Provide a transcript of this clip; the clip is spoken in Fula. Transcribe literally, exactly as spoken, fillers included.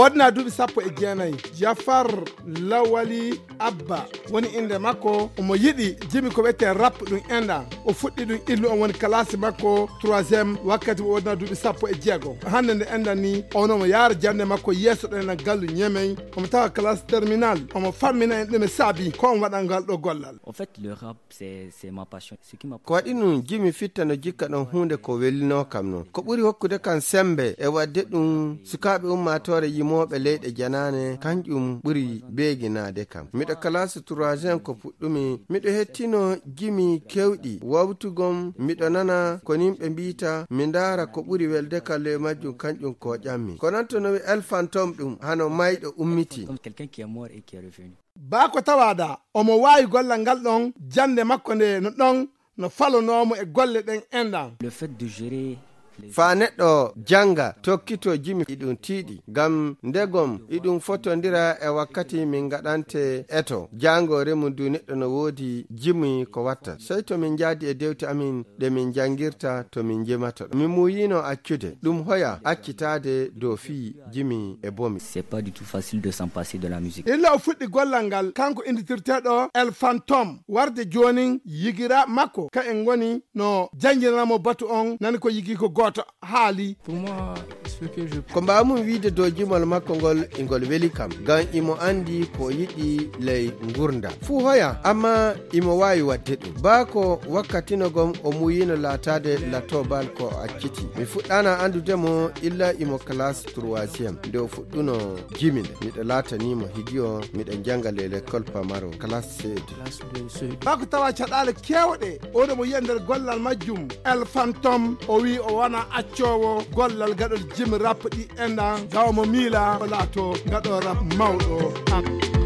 Wodna duuɓi sappo e jeenayi, Jafar Lawali Abba woni innde makko. Omo yiɗi jimi ko wiyetee rap ɗum enɗan. O fuɗɗi ɗum illu, on woni kalaasi makko troisième wakkati o wodna duuɓi sappo e jeego. Hannde nde enɗan ni, on omo yaara jannde makko yeeso ɗo enɗan gallu Ñemey. Omo tawa kalaasi terminal. Omo fammina en ɗum e saabi ko on waɗan ngal ɗo gollal. En fait, le rap, c'est, c'est ma passion. Ce qui m'a Ko waɗi ɗum jimi fitta no jikka ɗon huunde ko welinoo kam non. Ko ɓuri hokkude kam sembe e waɗde ɗum sukaaɓe ummaatoore yimooɓe leyɗe janaane, kanƴum ɓuri beeginaade kam. Miɗo kalaasi troisième ko puɗɗumi. Miɗo hettino jimi kewɗi. Wawtugom miɗo nana ko nimɓe mbiita, mi ndaara ko ɓuri welde kam ley majjum, kanƴum ko ƴammi. Ko non to no wi El Fantôme ɗum hano mayɗo ummiti. Comme quelqu'un qui est mort et qui est revenu. Baa ko tawaada, omo waawi gollal ngal ɗon, jannde makko nde no ɗon, no falonoomo e golle ɗen enɗan. Le fait de gérer les Faa neɗɗo jannga, tokkito jimi, iɗum tiiɗi. Ngam ndegom, iɗum fotondira e wakkati min ngaɗante eto. Jaangoore mum du neɗɗo no woodi jimi ko watta. Sey to min njaadi e dewte amin ɗe min njanngirta to min njemata. Mi muuyino accude. Ɗum hoya accitaade dow fii jimi e bomi. C'est pas du tout facile de s'en passer de la musique. Illa o fuɗɗi gollal ngal, kanko innditirteeɗo El Fantôme, warde joonin yigiraaɓe makko, ka en ngoni no jannginana mo batu on, nani ko yigi ko gooto haali. Pour moi, ce que je Ko mbaawmi wiide dow jimol makko ngol, ingol weli kam, ngam imo anndi ko o yiɗi ley ngurndan. Fuu hoya, amma imo waawi waɗde ɗum. Baa ko wakkatinogom o muuyino laataade latobal ko o acciti. Mi fuɗɗaana anndude mo illa imo classe troisième. Nde o fuɗɗuno jimi nde, miɗo laatanimo higiyo, miɗo jannga ley l'école Pamaro, classe C deux. Classe deux, C deux. Baa ko tawa caɗaale keewɗe, oɗo mo yiya nder gollal majjum, El Fantôme, o wi'i o wona accoowo gollal gaɗol jimi rap ɗi enɗan, gawa mo miila o laato gaɗo rap mawɗo.